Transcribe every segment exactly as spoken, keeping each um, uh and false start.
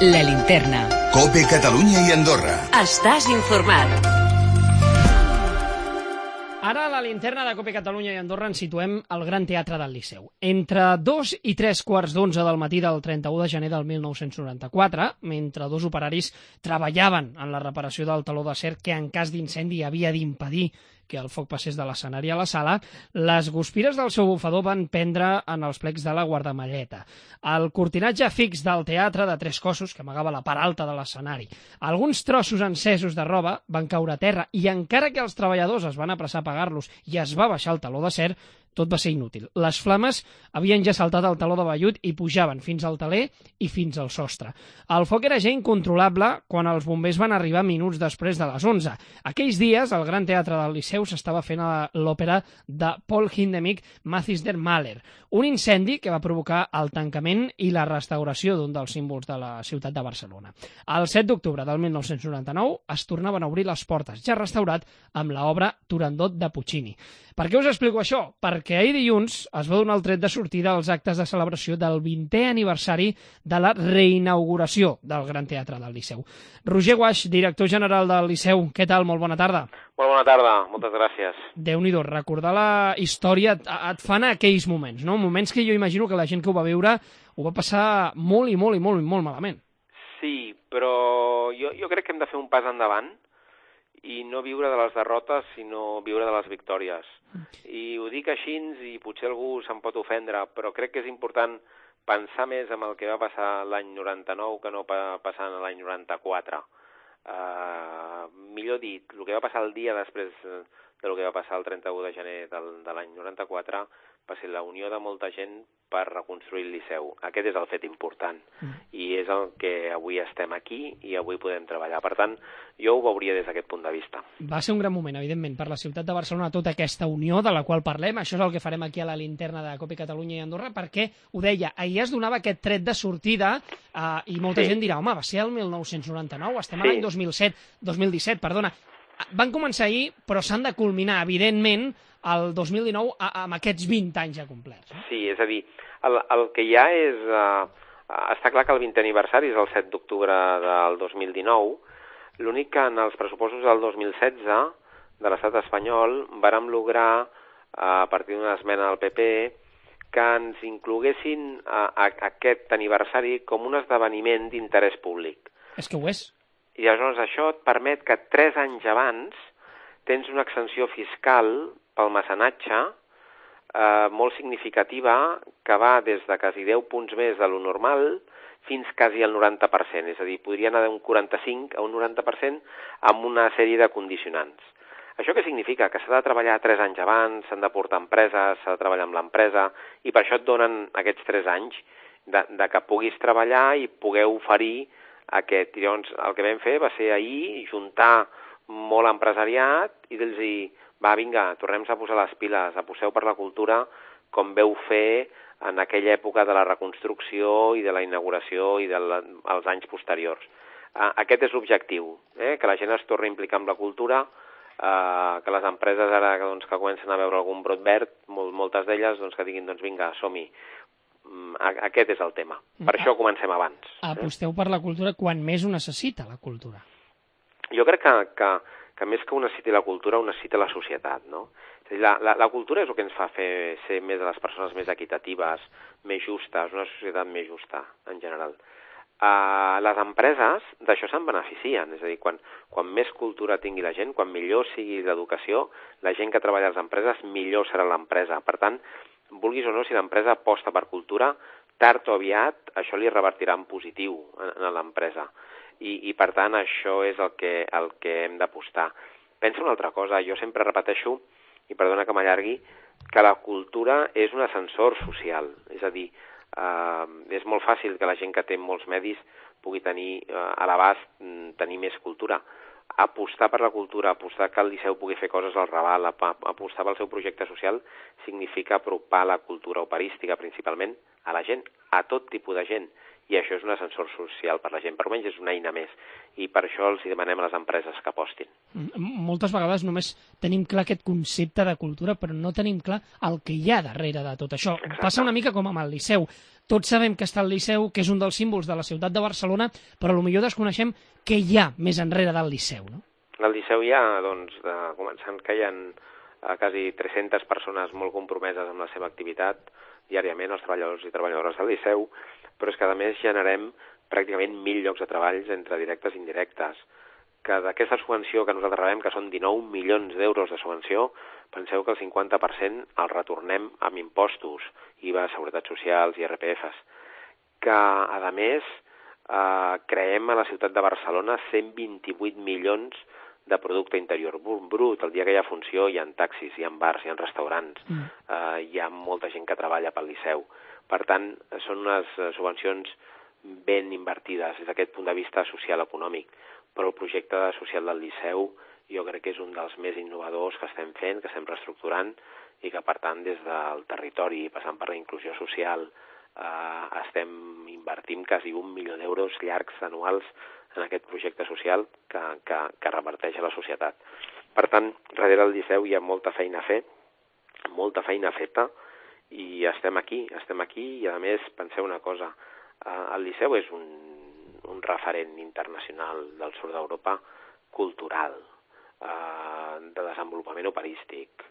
La Linterna. COPE Catalunya i Andorra. Estàs informat. Ara a la Linterna de COPE Catalunya i Andorra ens situem al Gran Teatre del Liceu. Entre dos i tres quarts d'onze del matí del trenta-u de gener del mil nou-cents noranta-quatre, mentre dos operaris treballaven en la reparació del teló d'acer que en cas d'incendi havia d'impedir que el foc passés de l'escenari a la sala, les guspires del seu bufador van prendre en els plecs de la guardamalleta. El cortinatge fix del teatre de tres cossos, que amagava la part alta de l'escenari. Alguns trossos encesos de roba van caure a terra i encara que els treballadors es van apressar a apagar-los i es va baixar el teló d'acer, tot va ser inútil. Les flames havien ja saltat el teló de vellut i pujaven fins al teler i fins al sostre. El foc era ja incontrolable quan els bombers van arribar minuts després de les onze. Aquells dies, al Gran Teatre del Liceu s'estava fent l'òpera de Paul Hindemith, Mathis der Maler, un incendi que va provocar el tancament i la restauració d'un dels símbols de la ciutat de Barcelona. El set d'octubre del mil nou-cents noranta-nou es tornaven a obrir les portes, ja restaurat amb l'obra Turandot de Puccini. Per què us explico això? Perquè ahir dilluns es va donar el tret de sortida als actes de celebració del vintè aniversari de la reinauguració del Gran Teatre del Liceu. Roger Guaix, director general del Liceu, què tal? Molt bona tarda. Molt bona tarda, moltes gràcies. Déu-n'hi-do, recordar la història et, et fan aquells moments, no? Moments que jo imagino que la gent que ho va viure ho va passar molt i molt i molt i molt malament. Sí, però jo, jo crec que hem de fer un pas endavant i no viure de les derrotes, sinó viure de les victòries. I ho dic així i potser algú se'n pot ofendre, però crec que és important pensar més en el que va passar l'any noranta-nou que no pa passar l'any noranta-quatre. Uh, millor dit, el que va passar el dia després del que va passar el trenta-u de gener del, de l'any noranta-quatre va ser la unió de molta gent per reconstruir el Liceu. Aquest és el fet important mm. i és el que avui estem aquí i avui podem treballar. Per tant, jo ho veuria des d'aquest punt de vista. Va ser un gran moment, evidentment, per la ciutat de Barcelona, tota aquesta unió de la qual parlem. Això és el que farem aquí a la Linterna de COPE Catalunya i Andorra, perquè, ho deia, ahir es donava aquest tret de sortida eh, i molta sí. gent dirà, home, va ser el mil nou-cents noranta-nou, estem sí. a l'any dos mil set, dos mil disset, perdona. Van començar ahir, però s'han de culminar, evidentment, el dos mil dinou amb aquests vint anys ja complerts. Eh? Sí, és a dir, el, el que hi ha és... Uh, està clar que el vintè aniversari és el set d'octubre del dos mil dinou, l'únic que en els pressupostos del dos mil setze de l'estat espanyol vàrem lograr, a partir d'una esmena del P P, que ens incloguessin a, a, aquest aniversari com un esdeveniment d'interès públic. És que ho és. I llavors això et permet que tres anys abans tens una exenció fiscal pel mecenatge eh, molt significativa que va des de quasi deu punts més de lo normal fins quasi al noranta per cent. És a dir, podria anar d'un quaranta-cinc a un noranta per cent amb una sèrie de condicionants. Això què significa? Que s'ha de treballar tres anys abans, s'han de portar empreses, s'ha de treballar amb l'empresa i per això et donen aquests tres anys de, de que puguis treballar i poder oferir aquest. Llavors, el que vam fer va ser ahir juntar molt empresariat i dir-los, va, vinga, tornem a posar les piles, aposeu per la cultura com veu fer en aquella època de la reconstrucció i de la inauguració i dels anys posteriors. Aquest és l'objectiu, eh? Que la gent es torni a implicar amb la cultura, eh, que les empreses ara doncs, que comencen a veure algun brot verd, molt, moltes d'elles doncs, que diguin, doncs vinga, som-hi. Aquest és el tema. Per això comencem abans. Aposteu per la cultura quan més ho necessita, la cultura. Jo crec que, que, que més que ho necessiti la cultura, ho necessita la societat, no? És a dir, la, la, la cultura és el que ens fa fer ser més de les persones més equitatives, més justes, una societat més justa, en general. Uh, les empreses d'això se'n beneficien, és a dir, quan, quan més cultura tingui la gent, quan millor sigui l'educació, la gent que treballa a les empreses, millor serà l'empresa. Per tant, vulguis o no, si l'empresa aposta per cultura, tard o aviat això li revertirà en positiu a l'empresa. I, I, per tant, això és el que, el que hem d'apostar. Pensa una altra cosa, jo sempre repeteixo, i perdona que m'allargui, que la cultura és un ascensor social. És a dir, eh, és molt fàcil que la gent que té molts medis pugui tenir eh, a l'abast tenir més cultura. Apostar per la cultura, apostar que el Liceu pugui fer coses al Raval, apostar pel seu projecte social, significa apropar la cultura operística principalment a la gent, a tot tipus de gent, i això és un ascensor social per la gent, per almenys és una eina més, i per això els demanem a les empreses que apostin. Moltes vegades només tenim clar aquest concepte de cultura, però no tenim clar el que hi ha darrere de tot això. Exacte. Passa una mica com amb el Liceu. Tots sabem que està el Liceu, que és un dels símbols de la ciutat de Barcelona, però potser desconeixem què hi ha més enrere del Liceu, no? Al Liceu hi ha, doncs, de, començant que hi ha eh, quasi tres-centes persones molt compromeses amb la seva activitat, diàriament els treballadors i treballadores del Liceu, però és que a més generem pràcticament mil llocs de treball entre directes i indirectes, que d'aquesta subvenció que nosaltres rebem, que són dinou milions d'euros de subvenció, penseu que el cinquanta per cent el retornem amb impostos, I V A, Seguretat Socials, I R P Fs, que a més eh, creem a la ciutat de Barcelona cent vint-i-vuit milions de producte interior brut. El dia que hi ha funció hi ha taxis, hi ha bars, hi ha restaurants, mm. eh, hi ha molta gent que treballa pel Liceu. Per tant, són unes subvencions ben invertides des d'aquest punt de vista social-econòmic, però el projecte social del Liceu jo crec que és un dels més innovadors que estem fent, que estem reestructurant i que, per tant, des del territori, passant per la inclusió social, eh, estem invertint quasi un milió d'euros llargs anuals en aquest projecte social que, que, que reverteix a la societat. Per tant, darrere del Liceu hi ha molta feina a fer, molta feina feta, i estem aquí, estem aquí, i a més, penseu una cosa, eh, el Liceu és un, un referent internacional del sud d'Europa cultural, eh, de desenvolupament operístic.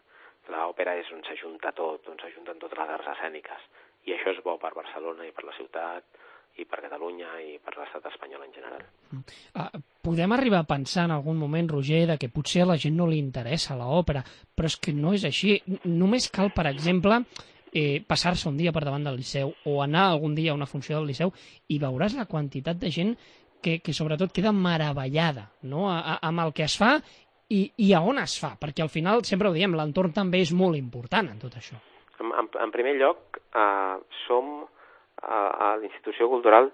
L'òpera és on s'ajunta tot, on s'ajunten totes les arts escèniques, i això és bo per Barcelona i per la ciutat, i per Catalunya i per l'estat espanyol en general. Uh, podem arribar a pensar en algun moment, Roger, de que potser a la gent no li interessa l'òpera, però és que no és així. Només cal, per exemple, eh, passar-se un dia per davant del Liceu o anar algun dia a una funció del Liceu i veuràs la quantitat de gent que, que sobretot queda meravellada, no?, a, a, amb el que es fa i, i a on es fa, perquè al final, sempre ho diem, l'entorn també és molt important en tot això. En, en, en primer lloc, eh, som a la institució cultural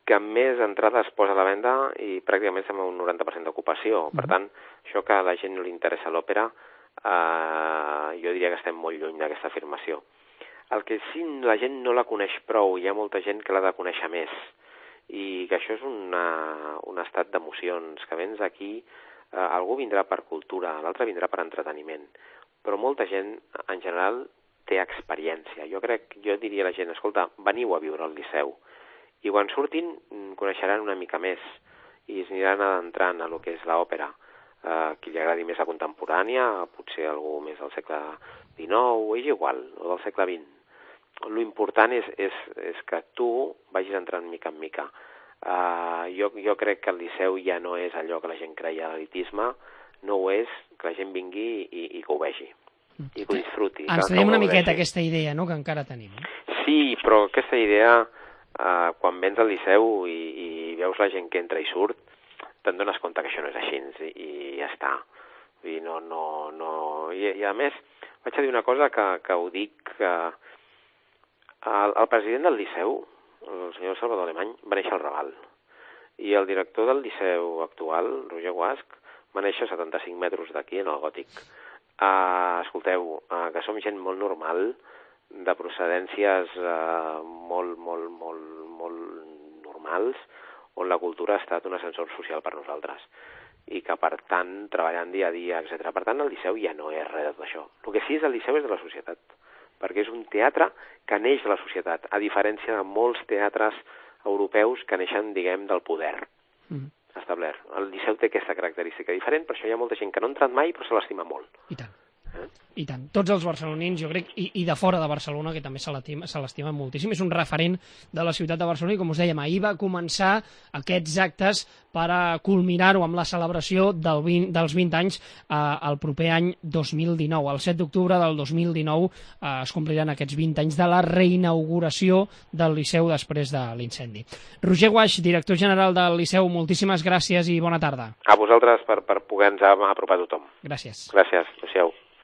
que més entrades posa a la venda i pràcticament estem un noranta per cent d'ocupació. Per tant, això que a la gent no li interessa l'òpera, eh, jo diria que estem molt lluny d'aquesta afirmació. El que sí, la gent no la coneix prou, hi ha molta gent que l'ha de conèixer més, i que això és una, un estat d'emocions, que vens aquí, eh, algú vindrà per cultura, l'altre vindrà per entreteniment, però molta gent, en general, té experiència. Jo crec, jo diria a la gent, escolta, veniu a viure al Liceu, i quan surtin coneixeran una mica més i es aniran adentrant a lo que és l'òpera. Eh, qui li agradi més la contemporània, potser algú més del segle dinou, és igual, o del segle vint. L'important és, és, és que tu vagis entrant mica en mica. Eh, jo, jo crec que el Liceu ja no és allò que la gent creia l'elitisme, no ho és, que la gent vingui i, i que ho vegi. I que ho disfruti. Ens traiem una miqueta aquesta idea, no?, que encara tenim. Sí, però aquesta idea, eh, quan vens al Liceu i, i veus la gent que entra i surt, te'n dones compte que això no és així, i, i ja està. I, no, no, no... I, I a més, vaig a dir una cosa que, que ho dic, que el, el president del Liceu, el senyor Salvador Alemany, va néixer al Raval, i el director del Liceu actual, Roger Guasch, va néixer a setanta-cinc metres d'aquí, en el Gòtic. Uh, escolteu, uh, que som gent molt normal, de procedències uh, molt, molt, molt, molt normals, on la cultura ha estat un ascensor social per nosaltres, i que, per tant, treballant dia a dia, etcètera. Per tant, el Liceu ja no és res de tot això. El que sí és el Liceu és de la societat, perquè és un teatre que neix de la societat, a diferència de molts teatres europeus que neixen, diguem, del poder. Mm. Establert. El Liceu té aquesta característica diferent, per això hi ha molta gent que no ha entrat mai però se l'estima molt. I tant. Eh? I tant. Tots els barcelonins, jo crec, i, i de fora de Barcelona, que també se l'estimen moltíssim. És un referent de la ciutat de Barcelona i, com us dèiem, ahir va començar aquests actes per a culminar-ho amb la celebració del vint, dels vint anys eh, el proper any dos mil dinou. El set d'octubre del dos mil dinou eh, es compliran aquests vint anys de la reinauguració del Liceu després de l'incendi. Roger Guasch, director general del Liceu, moltíssimes gràcies i bona tarda. A vosaltres per, per poder-nos apropar a tothom. Gràcies. Gràcies. Adéu-siau.